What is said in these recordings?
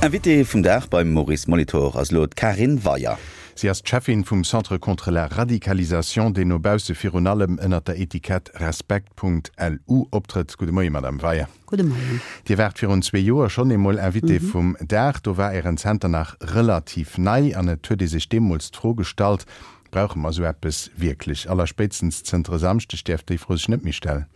Invitée vum Dag beim Maurice Molitor ass elo d'Karin Weyer. Si ass d'Cheffin vum Centre contre la radicalisation, deen no bausse virun allem ënnert der Etikett Respekt.lu optrëtt. Gudde Moie, Madame Weyer. Gudde Moien. Dir waart virun zwee Joer schonn eemol Invitée vum Dag. Do war Ären Zenter nach relativ nei an et huet ee sech deemools d'Fro gestallt, Brauche mer esou eppes wierklech? Allerspéitstens zënter e Samschdeg däerf déi Fro sech net méi stellen.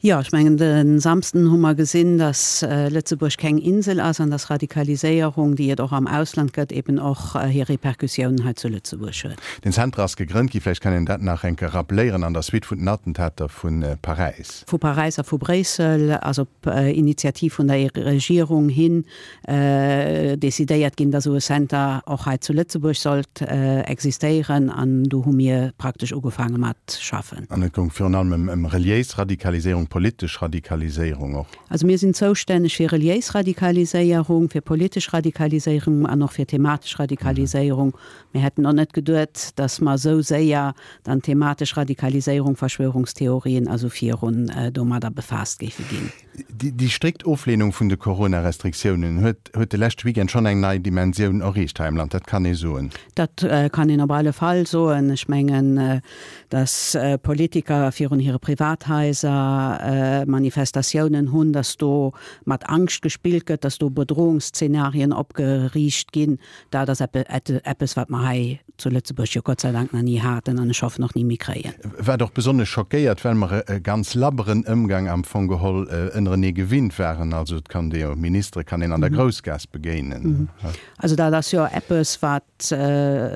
Jo, ech mengen, de Samsden hu mer gesinn, datt Lëtzebuerg keng Insel ass an datt Radikaliséierung, déi et och am Ausland gëtt, eben och hir Repercussiounen hei zu Lëtzebuerg huet. Den Zenter ass gegrënnt gi, vläicht kann een dat nach eng Kéier rappeléieren, an der Suite vun den Attentater vu Paräis. Vu Paräis a vu Bréissel ass op Initiativ vun der Regierung hin decidéiert ginn, dass esou e Center och hei zu Lëtzebuerg sollt existéieren, an do hu mir praktesch ugefaange mat schaffen. An et goung virun allem ëm reliéis Radikaliséierung, politesch Radikaliséierung och. Also mir sinn zoustänneg fir reliéis Radikaliséierung, fir politesch Radikaliséierung an och fir thematesch Radikaliséierung. Mir hätten och net geduet, dass mer esou séier dann thematesch Radikaliséierung, Verschwörungstheorien a sou virun domadder befaasst géife ginn. Déi strikt Ofleenung vun de Corona-Restriktiounen huet huet de leschte Weekend schonn eng nei Dimensioun erreecht hei am Land, dat kann ee soen. Dat kann een op alle Fall soen. Ech mengen, datt Politiker virun hire Privathaiser Manifestatiounen hunn, datt do mat Angscht gespillt gëtt, datt do Bedrohungsszenarien opgeriicht ginn, Dat ass eppes, wat mer hei zu Lëtzebuerg jo Gott sei Dank nach ni haten an ech hoffen och ni méi kréien. Wat och besonnesch schockéiert, well mer e ganz labberen Ëmgang am Fong geholl ënnerenee gewinnt waren. Also et kann ee jo, Ministere kann een an der Groussgaass begéinen. Also dat ass jo eppes, wat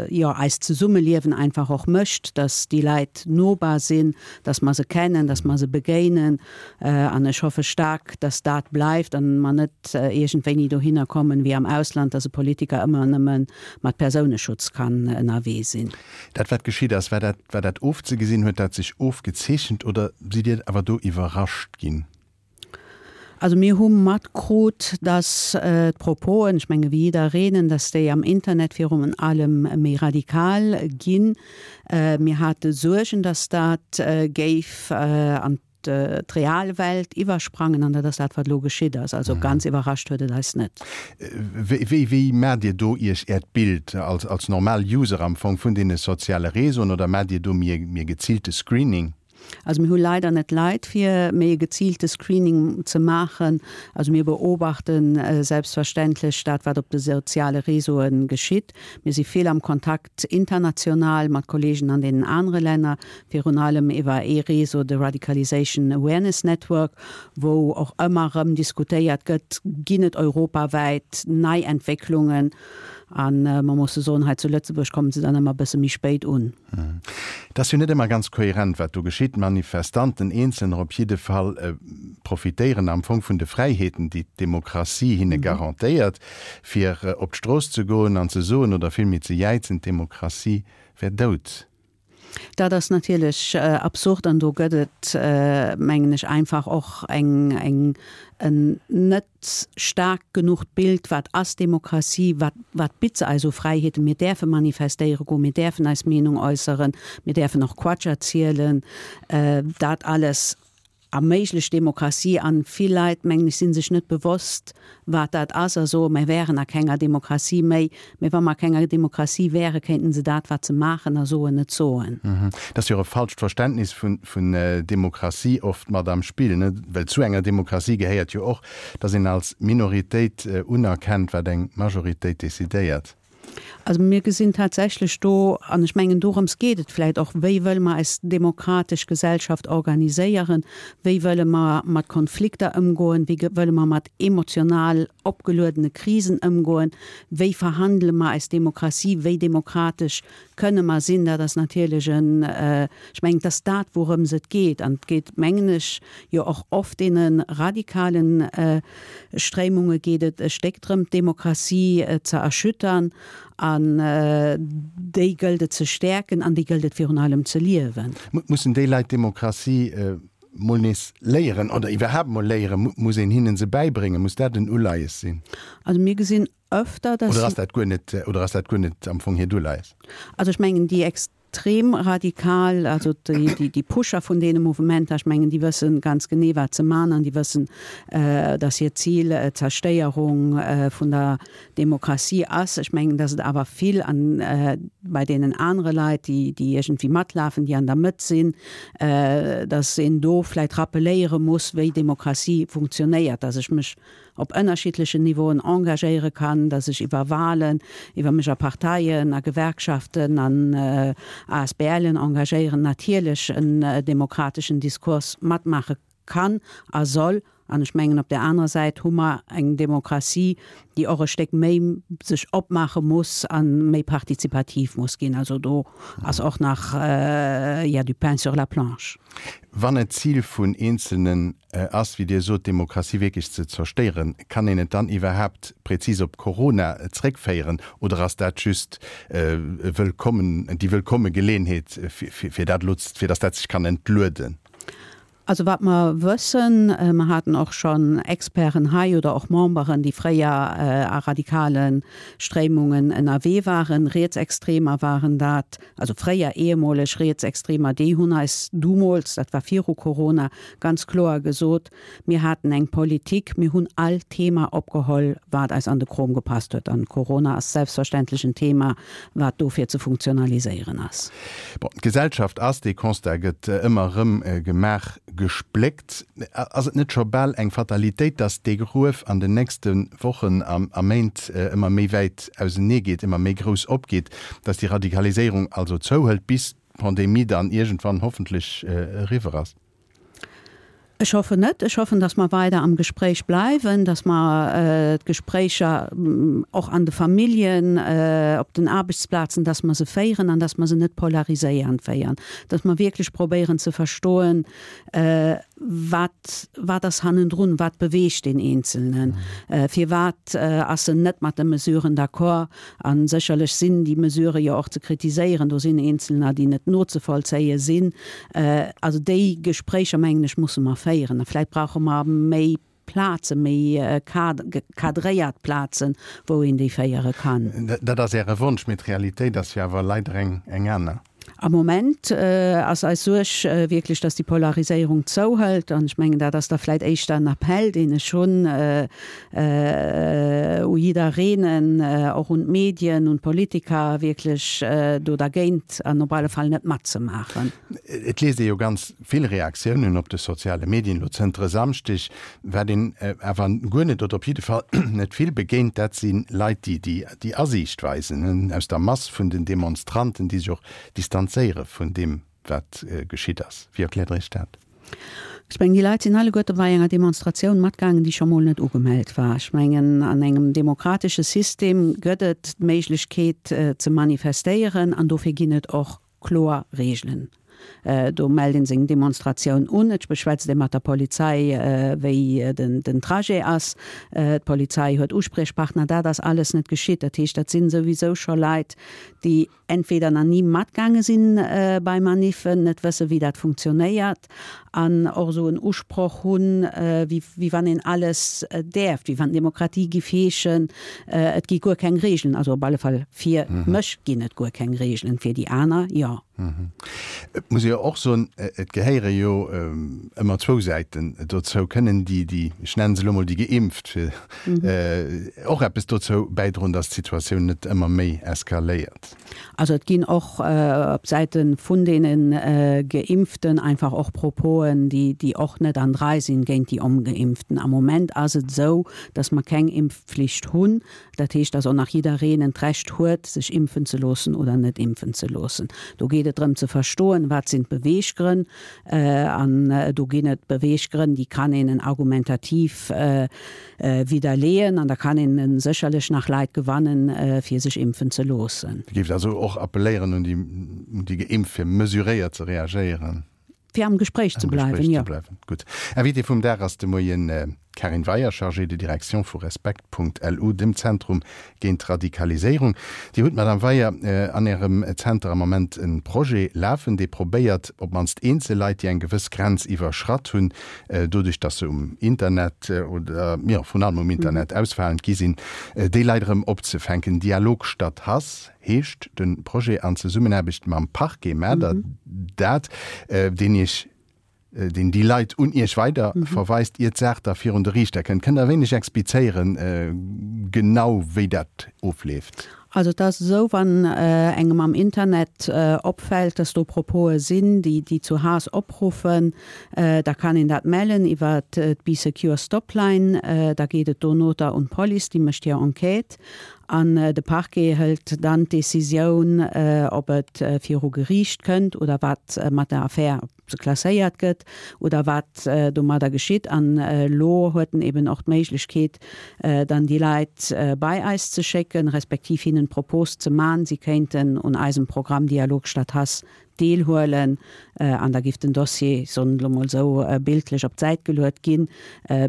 jo eist Zesummeliewen einfach och mécht, dass déi Leit nobar sinn, dass mer se kennen, dass mer se begéinen. An ech hoffe staark, dass dat bleift an mer net iergendwéini dohinner kommen, wéi am Ausland, dass e Politiker ëmmer nëmme mat Persouneschutz kann ënnerwee sinn. Dat, wat geschitt ass, war dat, war dat ofzegesinn? Huet dat sech ofgezeechent oder sidd Dir awer do iwwerrascht ginn? Also mir hu matkrut, dass d'Proposen, ech menge wéi jiddereen, dass déi am Internet virun allem méi radikal ginn. Mir hate Suergen, dass dat géif an d'real Welt iwwersprangen an dat ass dat, wat elo geschitt ass. Also ganz iwwerrascht huet et eis net. Wéi, wéi maacht Dir do Iech Äert Bild als, als normal User am Fong vun deene soziale Réseauen oder maacht Dir do méi e, méi e geziilte Screening? Also mir hu leider net d'Leit fir méi e geziilte Screening ze maachen. Also mir beobachte selbstverständlech dat, wat op de soziale Réseaue geschitt. Mir si vill am Kontakt international mat Kollegen an deenen anere Länner, virun allem iwwer ee Réseau, de Radicalisation Awareness Network, wou och ëmmer erëm diskutéiert gëtt, ginn et europawäit nei Entwécklungen. A mer musse soen, hei zu Lëtzebuerg kommen se dann ëmmer e bësse méi spéit un. Et ass jo net ëmmer ganz kohärent, wat do geschitt. D'Manifestanten, Eenzelner op jidde Fall, profitéieren am Fong vun de Fräiheeten, déi d'Demokratie hinne garantéiert, fir op d'Strooss ze goen an ze soen, oder villméi ze jäizen, d'Demokratie wär dout. Dat ass natierlech absurd an do gëtt et, mengen ech, einfach och eng, eng, en net staark genucht Bild, wat ass Demokratie, wat, wat bitt se eis u Fräiheeten. Mir däerfe manifestéiere goen, mir däerfen eis Meenung äusseren, mir däerfen och Quatsch erzielen. Dat alles erméiglecht Demokratie an vill Leit, mengen ech, si sech net bewosst, wat dat ass a soen, mir wären a kenger Demokratie méi. Mee wa mer a kenger Demokratie wären, kéinten se dat, wat se maachen a soen, net soen. Et ass jo och e falscht Verständnis vun Demokratie oft mat am Spill, ne? Well zu enger Demokratie gehéiert jo och, datt een als Minoritéit unerkennt, wat eng Majoritéit decidéiert. Also mir gesinn tatsächlech do, an ech mengen dorëms geet et vläicht och, wéi wëlle mer eis demokratesch Gesellschaft organiséieren, wéi wëlle mer mat Konflikter ëmgoen, wéi wëlle mer mat emotional opgeluedene Krisen ëmgoen, wéi verhandele mer eis Demokratie, wéi demokratesch kënne mer sinn. Dat ass natierlech en, ech mengen, et ass dat wourëms et geet. An et geet, mengen ech, jo och oft deene radikalen Stréimunge geet et e Stéck drëm, d'Demokratie ze erschüttern, an déi gëllt et ze stäerken an déi gëllt et virun allem ze liewen. Mussen déi Leit d'Demokratie mol nees léieren oder iwwerhaapt mol léieren? Muss een hinnen se bäibréngen? Muss dat en Uleies sinn? Also mir gesinn öfter, dass. Oder ass dat guer net, oder ass dat guer net am Fong hiert Uleies? Also ech mengen, déi. extrem radikal, also déi Pusher vun deene Mouvementer, ech mengen, déi wësse ganz genee, wat se man an déi wëssen, datt hiert Zil d'Zerstéierung vun der Demokratie ass. Ech mengen, datt et awer vill an bei deenen anere Leit, déi iergendwéi matlafen, déi an der Mëtt sinn, datt een do vläicht rappeléiere muss, wéi Demokratie funktionéiert, datt ech mech op ënnerschiddlechen Niveauen engagéiere kann, datt ech iwwer Wahlen, iwwer mech a Parteien, a Gewerkschaften, an ASBLen engagéieren, natierlech en demokrateschen Diskurs matmaache kann a soll. An ech mengen, op där anerer Säit hu mer eng Demokratie, déi och e Stéck méi sech opmaache muss a méi partizipativ muss ginn. Also do ass och nach, il y a du pain sur la planche. Wann et d'Zil vun Eenzelnen ass, wéi Dir sot, d'Demokratie wierklech ze zerstéieren, kann een et dann iwwerhaapt prezis op Corona zréckféieren oder ass dat just e wëllkommen, déi wëllkomme Geleenheet, fir dat elo, fir datt dat sech kann entlueden? Also wat mer wëssen, mer haten och schonn Experten hei oder och Memberen, déi fréier a radikale Stréimungen ënnerwee waren, Rietsextremer waren dat, also fréier ehemoleg Rietsextremer, déi hunn eis dumools, dat war viru Corona, ganz kloer gesot, mir haten eng Politik, mir hunn all Thema opgeholl, wat eis an de Krom gepasst huet. An Corona ass selbstverständlech en Thema, wat dofir ze funktionaliséieren ass. Bon, d'Gesellschaft ass, dee Constat gëtt ëmmer erëm gemaach, gespléckt. Ass et net scho bal eng Fatalitéit, datt dee Gruef an den nächste Wochen a Méint ëmmer méi wäit ausenee geet, ëmmer méi grouss opgeet, datt déi Radikaliséierung also zouhëlt, bis d'Pandemie dann iergendwann hoffentlech eriwwer ass? Ech hoffen net. Ech hoffen, datt mer weider am Gespréich bleiwen, datt mer d'Gespréicher och an de Familljen, op den Aarbechtsplazen, datt mer se féieren an datt mer se net polariséiernd féieren, datt mer wierklech probéieren ze verstoen, wat, wat ass hannendrun, wat beweegt deen Eenzelnen, firwat ass en net mat de Mesuren d'accord. A sécherlech sinn déi Mesurë jo och ze kritiséieren. Do sinn eenzelner, déi net nozevollzéie sinn. Also déi Gespréicher, mengen ech, musse mer féieren. A vläicht brauche mer méi Plazen, méi cadréiert Plazen, wou een déi féiere kann. Dat ass Äre Wonsch, mee d'Realitéit ass jo awer leider eng aner. Am Moment ass eis Suerg wierklech, dass déi Polariséierung zouhëlt. An ech mengen, dat ass da vläit éischter en Appell, deen ech hunn u jiddereenen, och un d'Medien, un d'Politiker, wierklech do dergéint an op alle Fall net matzemaachen. Et liest ee jo ganz vill Reaktiounen op de soziale Medien elo zënter e Samschdeg. Wat een awer guer net, oder op jidde Fall net vill begéint, dat si Leit, déi déi Asiicht weisen, aus der Mass vun den Demonstranten, déi sech och distanzéiere vun deem, wat geschitt ass. Wéi erkläert Der Iech dat? Ech mengen, déi Leit sinn alleguerte bei enger Demonstratioun matgaangen, déi scho mol net ugemellt war. Ech mengen, an engem demokratesche System gëtt et d'Méiglechkeet ze manifestéieren an dofir ginn et och kloer Reegelen. Do mellt een seng Demonstratioun un, et beschwätzt ee mat der Polizei, wéi den Trajet ass. D'Polizei huet Uspriechpartner. Dat ass alles net geschitt. Dat heescht, dat sinn souwisou scho Leit, déi entweder nach ni matgaange sinn bei Maniffen, net wëssen, wéi dat funktionéiert an och esou en Usproch hunn, wéi wann een alles däerft, wéi wann Demokratie giff heeschen, et gi guer keng Reegelen. Also op alle Fall fir mech ginn et guer keng Reegelen, fir déi aner jo. Et muss ee jo och soen, et gehéiere jo ëmmer zwou Säiten dozou. Kënnen déi, déi, ech nennen se elo mol déi Geimpft, fir och eppes dozou bäidroen, datt d'Situatioun net ëmmer méi eskaléiert? Also et ginn och op Säite vun deene Geimpften einfach och Proposen, déi, déi och net an d'Rei sinn géint déi Ongeimpften. Am Moment ass et esou, datt mer keng Impfpflicht hunn. Dat heescht, dass och nach jiddereen en d'Recht huet, sech impfen ze loossen oder net impfen ze loossen. Do geet et drëm ze verstoen, wat sinn d'Beweeggrënn. An do ginn et Beweeggrënn, déi kann een argumentativ widderleeën an da kann een sécherlech nach Leit gewannen, fir sech impfen ze loossen. Dir géift also och appelléieren un déi Geimpft, fir mesuréiert ze reagéieren? Fir am Gespréich ze bleiwen, jo. Gutt. Invité vum Dag ass de Moien. D'Karin Weyer, Chargée de direction vu Respekt.lu, dem Zentrum géint d'Radikaliséierung. Dir hutt, Madame Weyer, an Ärem Zenter am Moment e Projet lafen, dee probéiert, op d'mannst eenzel Leit, déi eng gewëss Grenz iwwerschratt hunn, doduerch datt se um Internet oder, jo, vrun allem um Internet ausfalend gi sinn, déi Leit erëm opzefänken. Dialog statt Hass heescht de Projet an Zesummenaarbecht mam Parquet. Maacht Der dat, deen Iech deen déi Leit un Iech weider verweist, ier d'Saach da virun de Riichter kënnt. Kënnt Der e wéineg explizéieren, genau wéi dat ofleeft? Also et ass esou, wann engem am Internet opfält, dass do Propose sinn, déi déi zu Haass opruffen, da kann een dat mellen iwwer d'Bee Secure Stopline. Da geet et donoter un d'Police, déi mécht hir Enquête an de Parquet hëlt dann d'Decisioun, ob et viru Geriicht kënnt oder wat mat der Affär se klasséiert gëtt oder wat domadder geschitt. An elo huet en eben och d'Méiglechkeet, dann déi Leit bei eis ze schécken, respektiv hinnen d'Propos ze man, si kéinten un eisem Programm Dialog statt Hass deelhuelen. An da giff den Dossier, ech soen et elo mol esou bildlech, op d'Säit geluet ginn,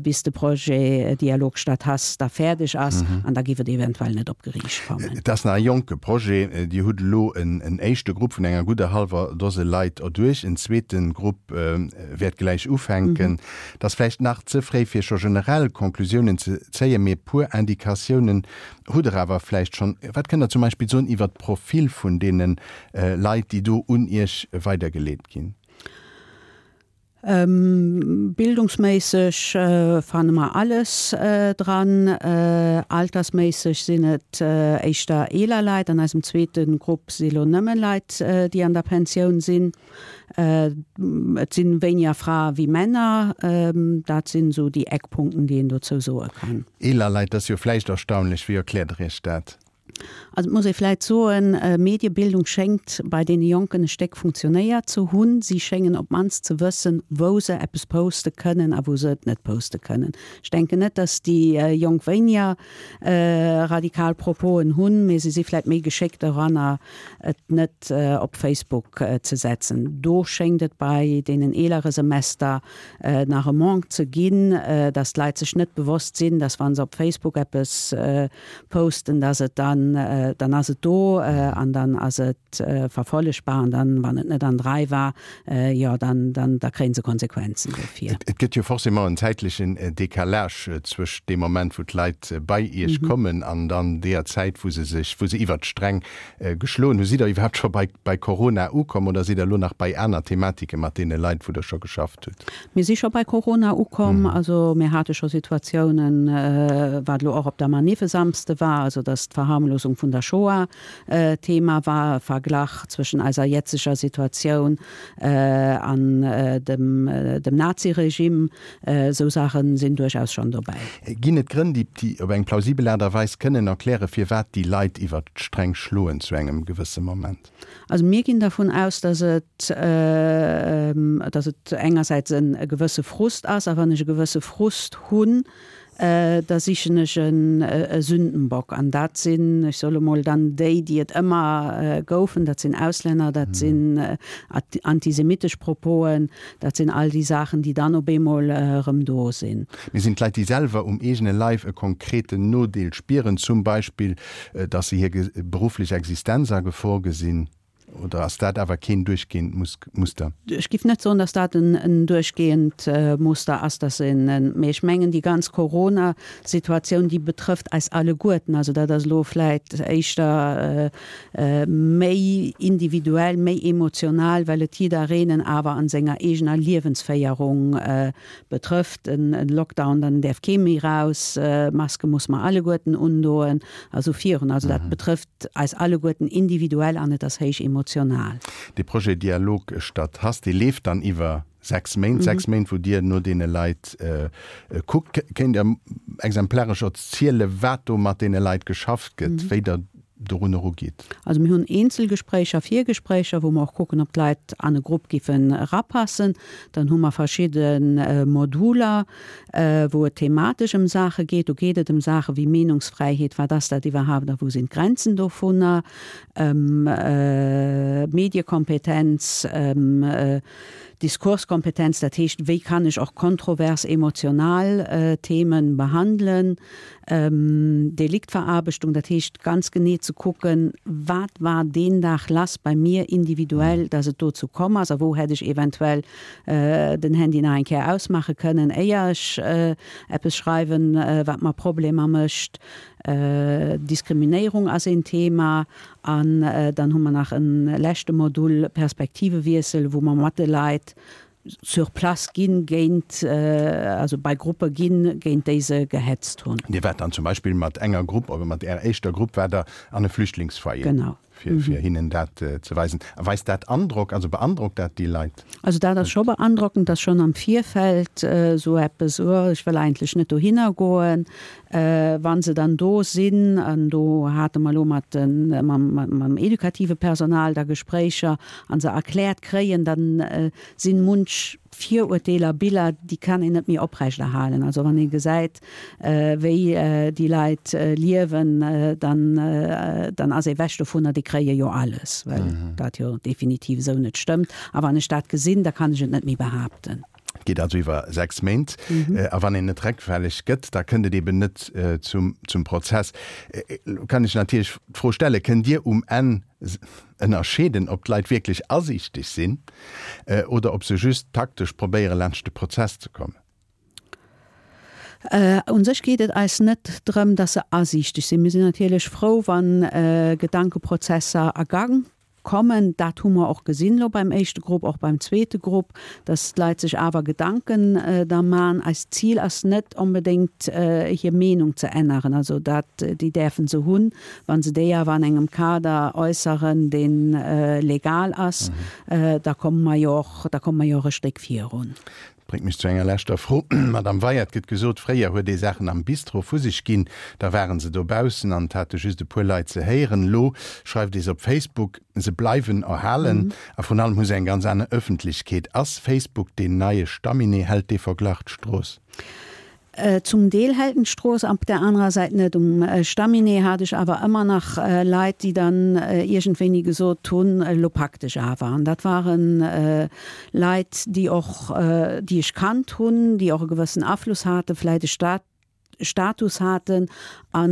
bis de Projet Dialog statt Hass da fäerdeg ass, an da giff et eventuell net op Geriicht kommen. Et ass nach e jonke Projet. Dir hutt elo en éischte Grupp vun enger gudder hallwer Dose Leit erduerch. En zweete Grupp wäert gläich ufänken. Et ass vläicht nach ze fréi, fir scho generell Conclusiounen ze zéien, mee e puer Indikatiounen hutt Der awer vläicht schonn. Wat kënnt Der zum Beispill soen iwwert d'Profil vun deene Leit, déi do un Iech weidergeleet ginn? Bildungsméisseg fanne mer alles dran. Altersméisseg sinn et éischter eeler Leit. An eisem zweete Grupp si lo nëmme Leit, déi an der Pensioun sinn. Et si wéiniger Frae wéi Männer. Dat sinn esou déi Eckpunkten, déi een dozou soe kann. Eeler Leit, dat ass jo vläicht erstaunlech. Wéi erkläert Der Iech dat? Also et muss ee vläit soen, Mediebildung schéngt bei deene Jonken e Stéck funktionéiert ze hunn. Si schéngen op d'mannst ze wëssen, wou se eppes poste kënnen a wou se et net poste kënnen. Ech denken net, datt déi Jonk wéiniger radikal Proposen hunn, mee se si vläit méi geschéckt doranner, et net op Facebook ze setzen. Do schéngt et bei deenen eelere Semester nach e Manque ze ginn, datt d'Leit sech net bewosst sinn, datt wa se op Facebook eppes posten, dass et dann, dann ass et do an dann ass et verfollegbar an dann, wann et net an der Rei war, jo, dann, dann, da kréie se Konsequenzen dofir. Et gëtt jo forcément en zäitlechen Décalage zwëscht deem Moment, wou d'Leit bei Iech kommen an dann deeër Zäit, wou se sech, wou se iwwert d'Sträng geschloen hunn. Sidd Der iwwerhaapt scho bei, bei Corona ukomm oder sidd Der elo nach bei aner Thematike mat deene Leit, wou Der scho geschafft hutt? Mir si scho bei Corona ukomm. Also mir hate scho Situatiounen, wat elo och op der Manif e Samsde war, also datt d'Verharmlosung vun der Shoah Thema war, e Verglach zwëschen eiser jetzeger Situatioun an dem dem Naziregime. Esou Saache sinn duerchaus schonn dobäi. Ginn et Grënn, déi déi op eng plausibel Aart a Weis kënnen erklären, firwat déi Leit iwwert d'Sträng schloen zu engem gewësse Moment? Also mir ginn dervun aus, dass et, dass et engersäits e gewësse Frust ass, a wann ech e gewësse Frust hunn, da sichen ech e Sündenbock. An dat sinn, ech soe lo mol, dann déi, déi et ëmmer goufen, dat sinn Auslänner, dat sinn antisemitesch Proposen, dat sinn all déi Saachen, déi dann op eemol erëm do sinn. Mir sinn d'Leit, déi selwer um eegene Leif e konkreten Nodeel spieren, zum Beispill dass se hir berufflech Existenz a Gefor gesinn, oder ass dat awer keen duerchgehend Muster? Ech giff net soen, dass dat en duerchgehend Muster ass, dass een, mee ech mengen déi ganz Corona-Situatioun, déi betrëfft eis alleguerten. Also dat ass elo vläit éischter méi individuell, méi emotional, well et jiddereenen awer an senger eegener Liewensféierung Betrëfft en Lockdown, dann däerf kee méi raus, Maske muss mer alleguerten undoen a sou virun. Also dat betrëfft eis alleguerten individuell an et ass héich emotional. Dee Projet Dialog statt Hass, dee leeft dann iwwer 6 Méint, 6 Méint wou Dir no deene Leit kuckt. Kéint Der exemplaresch erziele wat do mat deene Leit geschafft gëtt, wéi Der dorun erugeet? Also mir hunn Eenzelgespréicher, Virgespréicher, wou mer och kucken, ob d'Leit an e Grupp giffen erapassen. Dann hu mer verschidde Moduler, wou et thematesch ëm Saache geet. Do geet et ëm Saache wéi Meenungsfräiheet, wat ass dat iwwerhaapt a wou sinn d'Grenzen dovunner, ëm Mediekompetenz, ëm. Diskurskompetenz, dat heescht, wéi kann ech och kontrovers emotional Themen behandelen, Deliktverarbechtung, dat heescht ganz genee ze kucken, wat war deen Dag lass bei mir individuell, dass et dozou komm ass a wou hätt ech eventuell den Handy nach eng Kéier ausmaache kënnen, éier ech eppes schreiwen, wat mer Problemer mécht. Diskriminéierung ass een Thema. An dann hu mer nach e leschte Modul, Perspektivewiessel, wou mer mat de Leit sur place ginn, géint, also bei Gruppe ginn, géint déi se gehetzt hunn. Dir waart dann zum Beispill mat enger Grupp, oder mat Ärer éischter Grupp waart Der an e Flüchtlingsfoyer? Genau. Fir, fir hinnen dat ze weisen. A weist dat Androck, also beandrockt dat déi Leit? Also dat ass scho beandrockend, dass schonn am Virfeld esou eppes, oh, ech wëll eigentlech net dohinner goen, Wa se dann do sinn, an do hate mer elo mat de, mam edukative Personal da Gespréicher, a se erkläert kréien, da si munch Virurteeler, Biller, déi kann een net méi oprechterhalen. Also wann ee gesäit, wéi déi Leit liewen, dann, dann ass ee wech dovunner, déi kréie jo alles, well dat jo definitiv esou net stëmmt. A wann ech dat gesinn, da kann ech et net méi behaapten. Et geet also iwwer 6 Méint. A wann een net réckfälleg gëtt, da kënnt et eben net zum Prozess. Elo kann ech natierlech d'Fro stellen, Kënnt Dir um Enn ënnerscheeden, ob d'Leit wierklech asiichteg sinn oder ob se just taktesch probéieren, laanscht de Prozess ze kommen? U sech geet et eis net drëm, dass se asiichteg sinn. Mir sinn natierlech frou, wa Gedankeprozesser a Gang Kommen. Dat hu mer och gesinn elo beim éischte Grupp, och beim zweete Grupp, dass d'Leit sech awer Gedanken da man. Eist Zil ass net onbedéngt hir Meenung ze änneren. Also dat, déi däerfe se hunn, wa se déi awer an engem Kader äusseren, dee legal ass, da komme mer jo och, da komme mer jo och e Stéck virun. Bréngt mech zu enger leschter Fro, Madame Weyer. Et gëtt gesot, fréier huet ee Saachen am Bistro vu sech ginn, da ware se dobaussen an et hate just e puer Leit se héieren. Elo schreift ee se op Facebook, se bleiwen erhalen a vrun allem hu se eng ganz aner Ëffentlechkeet. Ass Facebook deen neie Stamminee? Hält dee Verglach d'Strooss? Zum Deel hält en d'Strooss, op där anerer Säit net. Um Stamminee hat ech awer ëmmer nach Leit, déi dann iergendwéini gesot hunn, elo pak dech awer. An dat ware Leit, déi och, déi ech kannt hunn, déi och e gewëssen Afluss haten, vläicht e Status haten, a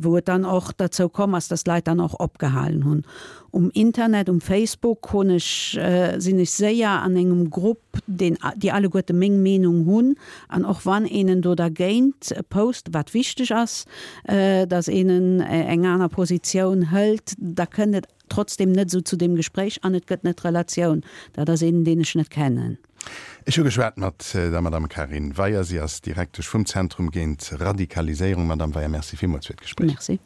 wou et dann och derzou komm ass, dass d'Leit dann och opgehalen hunn. Um Internet, um Facebook hunn ech, sinn ech séier an engem Grupp, deen, déi alleguerte meng Meenung hunn, an och wann een en do dergéint post, wat wichteg ass, datt een en eng aner Positioun hëlt, da kënnt et trotzdem net esou zu deem Gespréich an et gëtt net d'Relatioun. Dat ass een, deen ech net kennen. Ech hu geschwat mat der Madame Carine Weyer. Si ass Direktesch vum Zentrum géint Radikaliséierung. Madame Weyer, Merci villmools fir d'Gespréich. Merci.